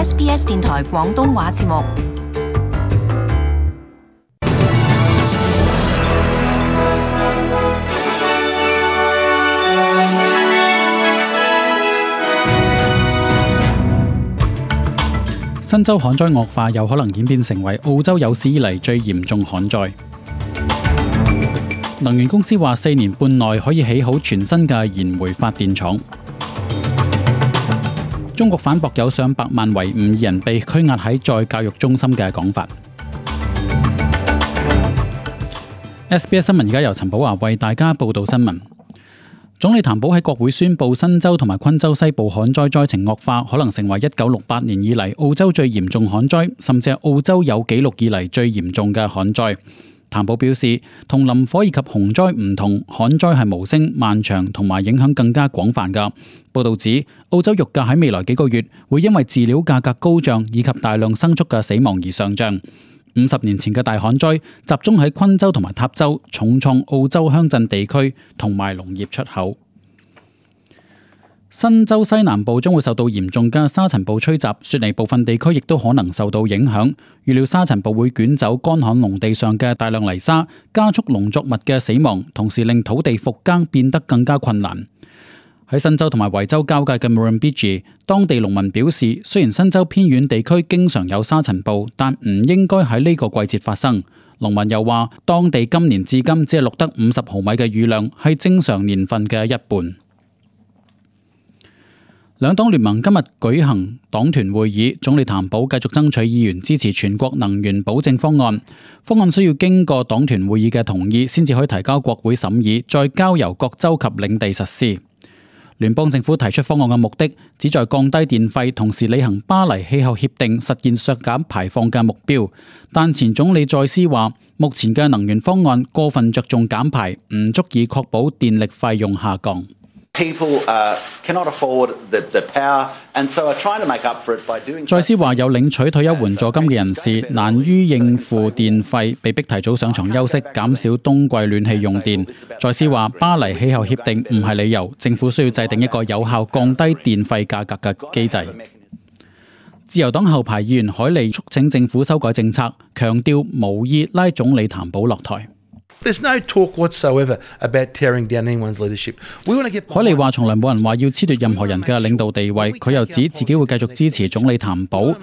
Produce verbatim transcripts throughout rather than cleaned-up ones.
S B S 電台廣東話節目。新州旱災惡化有可能演變成為澳洲有史以嚟最嚴重旱災。能源公司話四年半內可以起好全新嘅燃煤發電廠。中國反駁有上百萬維吾爾人被拘押喺再教育中心嘅講法。S B S 新聞而家由陳寶華為大家報道新聞。總理譚寶喺國會宣布新州同埋昆州西部旱災災情惡化，可能成為一九六八年以嚟澳洲最嚴重旱災，甚至係澳洲有紀錄以嚟最嚴重嘅旱災。譚寶表示，同林火以及洪災唔同，旱災係無聲、漫長同埋影響更加廣泛㗎。報道指，澳洲肉價喺未來幾個月會因為飼料價格高漲以及大量牲畜嘅死亡而上漲。五十年前嘅大旱災集中喺昆州同埋塔州，重創澳洲鄉鎮地區同埋農業出口。新州西南部將會受到嚴重嘅沙塵暴吹襲，雪梨部分地區亦都可能受到影響。預料沙塵暴會捲走乾旱農地上嘅大量泥沙，加速農作物嘅死亡，同時令土地復耕變得更加困難。喺新州同埋維州交界嘅 Murrumbidgee， 當地農民表示，雖然新州偏遠地區經常有沙塵暴，但唔應該喺呢個季節發生。農民又話，當地今年至今只係錄得五十毫米嘅雨量，係正常年份嘅一半。兩黨聯盟今日舉行黨團會議，總理譚寶繼續爭取議員支持全國能源保證方案。方案需要經過黨團會議嘅同意，先至可以提交國會審議，再交由各州及領地實施。聯邦政府提出方案嘅目的，旨在降低電費，同時履行巴黎氣候協定，實現削減排放嘅目標。但前總理再斯話，目前嘅能源方案過分着重減排，唔足以確保電力費用下降。再斯話，有領取退休援助金嘅人士難於應付電費，被逼提早上床休息，減少冬季暖氣用電。再斯話，巴黎氣候協定唔係理由，政府需要制定一個有效降低電費價格嘅機制。自由黨後排議員海利促請政府修改政策，強調無意拉總理譚寶落台。There's no talk whatsoever about tearing down anyone's leadership. We want to get 海利話從來冇人話要褫奪任何人嘅領導地位，佢又指自己會繼續支持總理譚寶，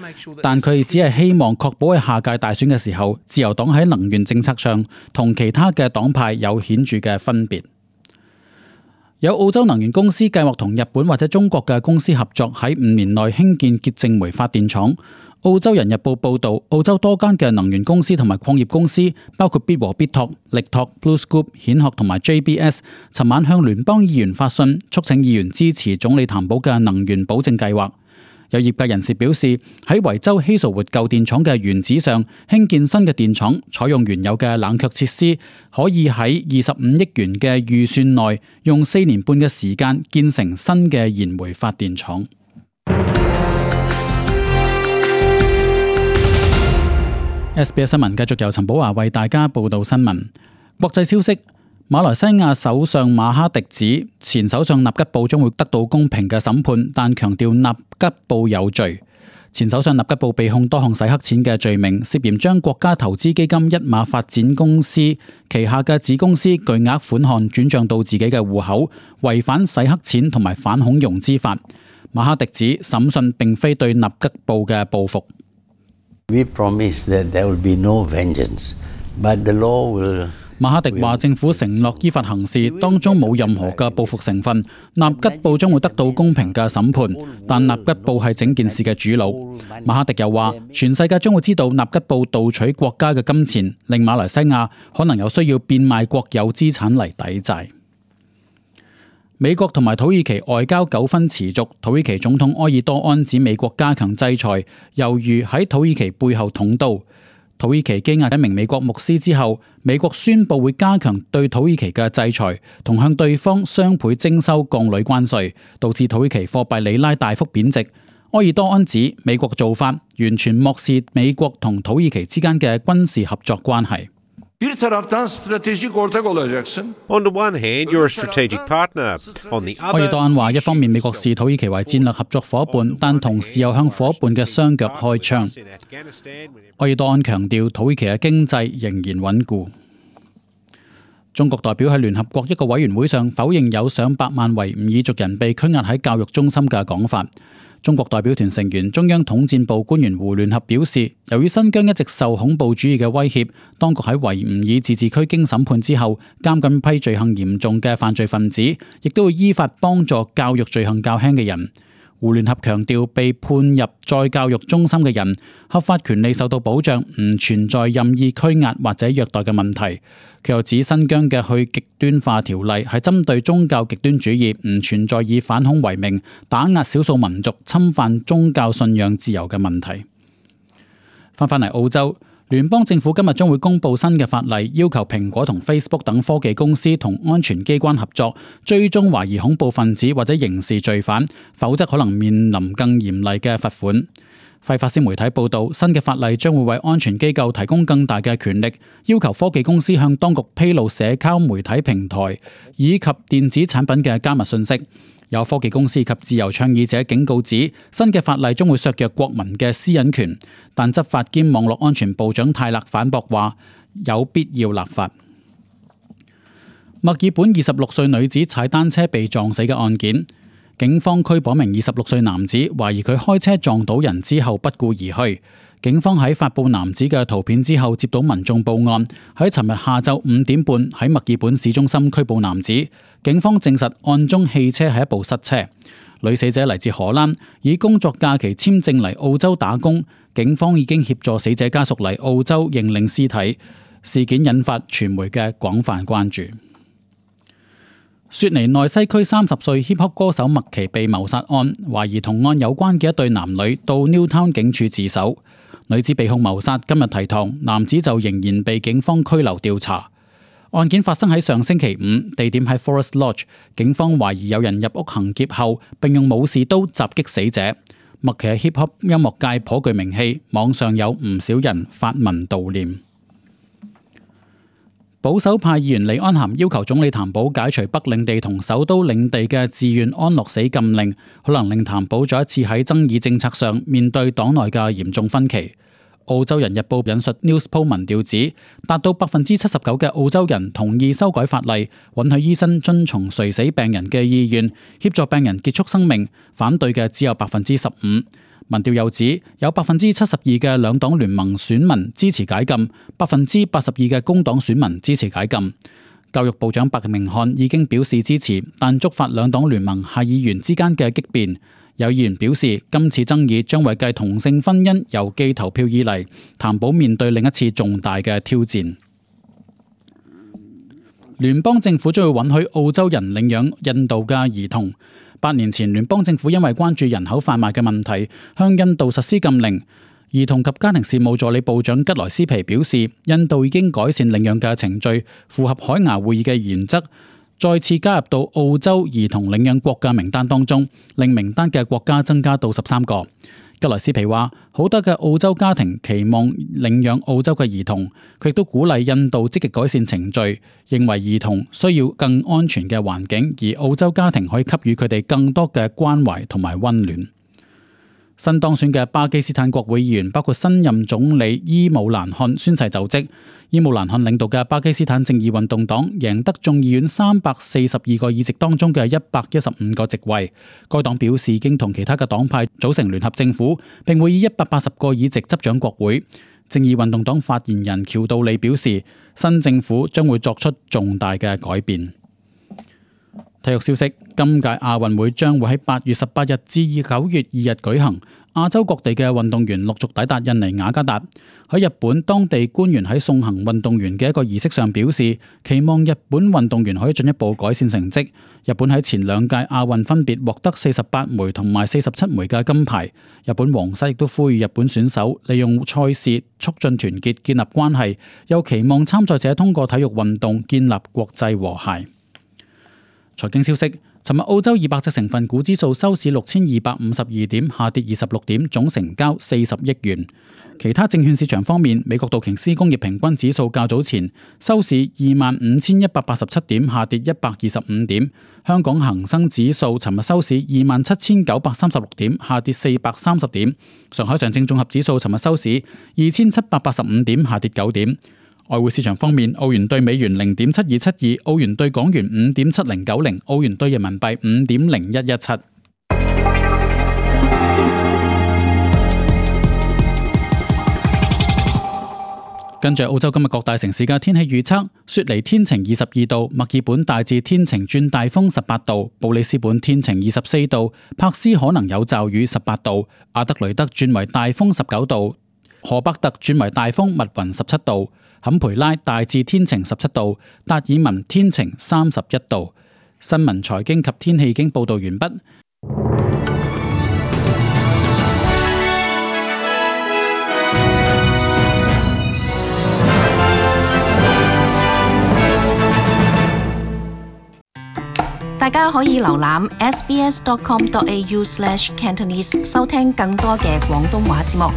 但佢只係希望確保喺下屆大選嘅時候，自由黨喺能源政策上同其他嘅黨派有顯著嘅分別。有澳洲能源公司計劃同日本或者中國嘅公司合作，喺五年內興建潔淨煤發電廠。澳洲人日報報導，澳洲多間嘅能源公司同埋礦業公司，包括必和必拓、力拓、BlueScope、顯學同埋 J B S， 尋晚向聯邦議員發信，促請議員支持總理譚寶嘅能源保證計劃。有業界人士表示，喺維州希素活舊電廠嘅原址上興建新嘅電廠，採用原有嘅冷卻設施，可以喺二十五億元嘅預算內，用四年半嘅時間建成新嘅燃煤發電廠。S B S 新聞繼續由陳寶華為大家報道新聞。國際消息，馬來西亞首相馬哈迪指前首相納吉布將會得到公平嘅審判，但強調納吉布有罪。前首相納吉布被控多項洗黑錢嘅罪名，涉嫌將國家投資基金一馬發展公司旗下嘅子公司巨額款項轉賬到自己嘅戶口，違反洗黑錢同埋反恐融資法。馬哈迪指審訊並非對納吉布嘅報復。We promise that there will be no vengeance, but the law will. 馬哈迪話政府承諾依法行事，當中冇任何嘅報復成分。納吉布將會得到公平嘅審判，但納吉布係整件事嘅主腦。馬哈迪又話，全世界將會知道納吉布盜取國家嘅金錢，令馬來西亞可能有需要變賣國有資產嚟抵債。美國同埋土耳其外交糾紛持續，土耳其總統埃爾多安指美國加強制裁，猶如喺土耳其背後捅刀。土耳其羈押一名美國牧師之後，美國宣布會加強對土耳其嘅制裁，同向對方雙倍徵收鋼鋁關稅，導致土耳其貨幣里拉大幅貶值。埃爾多安指美國做法完全漠視美國同土耳其之間嘅軍事合作關係。Bir taraftan stratejik ortak olacaksın. On the one hand, you're a strategic partner. On the 埃爾 other, 多安話，一方面美國視土耳其為戰略合作伙伴，但同時又向伙伴嘅雙腳開槍。埃爾多安強調，土耳其嘅經濟仍然穩固。中國代表喺聯合國一個委員會上否認有上百萬維吾爾族人被拘押喺教育中心嘅講法。中國代表團成員中央統戰部官員胡聯合表示，由於新疆一直受恐怖主義嘅威脅，當局喺維吾爾自治區經審判之後，監禁批罪行嚴重嘅犯罪分子，亦都會依法幫助教育罪行較輕嘅人。胡聯合強調，被判入再教育中心嘅人合法權利受到保障，唔存在任意拘押或者虐待嘅問題。佢又指新疆嘅去極端化條例係針對宗教極端主義，唔存在以反恐為名打壓少數民族、侵犯宗教信仰自由嘅問題。翻返嚟澳洲，聯邦政府今日將會公布新嘅法例，要求蘋果同 Facebook 等科技公司同安全機關合作，追蹤懷疑恐怖分子或者刑事罪犯，否則可能面臨更嚴厲嘅罰款。費法斯媒體報導，新嘅法例將會為安全機構提供更大嘅權力，要求科技公司向當局披露社交媒體平台以及電子產品嘅加密信息。有科技公司及自由倡議者警告指，新嘅法例將會削弱國民嘅私隱權，但執法兼網絡安全部長泰勒反駁話，有必要立法。墨爾本二十六歲女子踩單車被撞死嘅案件，警方拘捕名二十六歲男子，懷疑佢開車撞到人之後不顧而去。警方喺發佈男子嘅圖片之後，接到民眾報案，喺尋日下晝五點半喺墨爾本市中心拘捕男子。警方證實案中汽車係一部失車。女死者嚟自荷蘭，以工作假期簽證嚟澳洲打工。警方已經協助死者家屬嚟澳洲認領屍體。事件引發傳媒嘅廣泛關注。雪梨內西區三十歲 hip hop 歌手麥琪被謀殺案，懷疑同案有關嘅一對男女到 Newtown 警署自首。女子被控謀殺，今日提堂，男子就仍然被警方拘留調查。案件發生喺上星期五，地點喺 Forest Lodge。警方懷疑有人入屋行劫後，並用武士刀襲擊死者。麥琪喺 hip hop 音樂界頗具名氣，網上有唔少人發文悼念。保守派議員李安涵要求總理譚寶解除北領地同首都領地嘅自願安樂死禁令，可能令譚寶再一次喺爭議政策上面對黨內嘅嚴重分歧。澳洲人日報引述 Newspoll 民調指，達到百分之七十九嘅澳洲人同意修改法例，允許醫生遵從垂死病人嘅意願，協助病人結束生命。反對嘅只有百分之十五。民調又指，有百分之七十二嘅兩黨聯盟選民支持解禁，百分之八十二嘅工黨選民支持解禁。教育部長白明漢已經表示支持，但觸發兩黨聯盟下議員之間嘅激辯。有議員表示，今次爭議將為繼同性婚姻郵寄投票以嚟，譚寶面對另一次重大嘅挑戰。聯邦政府將會允許澳洲人領養印度嘅兒童。八年前，聯邦政府因為關注人口販賣嘅問題，向印度實施禁令。兒童及家庭事務助理部長吉萊斯皮表示，印度已經改善領養嘅程序，符合海牙會議嘅原則，再次加入到澳洲兒童領養國嘅名單當中，令名單嘅國家增加到十三個。吉萊斯皮話，好多嘅澳洲家庭期望領養澳洲嘅兒童，佢亦都鼓勵印度積極改善程序，認為兒童需要更安全嘅環境，而澳洲家庭可以給予佢哋更多嘅關懷同埋溫暖。新當選嘅巴基斯坦國會議員包括新任總理伊姆蘭汗宣誓就職。伊姆蘭汗領導嘅巴基斯坦正義運動黨贏得眾議院三百四十二個議席當中嘅一百一十五個席位。該黨表示已經同其他嘅黨派組成聯合政府，並會以一百八十個議席執掌國會。正義運動黨發言人喬道理表示，新政府將會作出重大嘅改變。體育消息：今屆亞運會將會喺八月十八日至九月二日舉行。亞洲各地嘅運動員陸續抵達印尼雅加達。喺日本，當地官員喺送行運動員嘅一個儀式上表示，期望日本運動員可以進一步改善成績。日本喺前兩屆亞運分別獲得四十八枚同埋四十七枚嘅金牌。日本皇室亦都呼籲日本選手利用賽事促進團結、建立關係，又期望參賽者通過體育運動建立國際和諧。財經消息。尋日澳洲二百隻成分股指數收市六千二百五十二點，下跌二十六點，總成交四十億元。其他證券市場方面，美國道瓊斯工業平均指數較早前收市二萬五千一百八十七點，下跌一百二十五點。香港恒生指數尋日收市二萬七千九百三十六點，下跌四百三十點。上海上證綜合指數尋日收市二千七百八十五點，下跌九點。外匯市場方面，澳元兌美元零點七二七二，澳元兌港元五點七零九零，澳元兌人民幣五點零一一七。跟住澳洲今日各大城市嘅天氣預測：雪梨天晴二十二度，墨爾本大致天晴轉大風十八度，布里斯本天晴二十四度，柏斯可能有驟雨十八度，阿德雷德轉為大風十九度，荷伯特轉為大風密雲十七度，坎培拉大致天晴十七度，達爾文天晴三十一度。新聞財經及天氣已經報道完畢。大家可以瀏覽 s b s dot com dot a u slash cantonese 收聽更多嘅廣東話節目。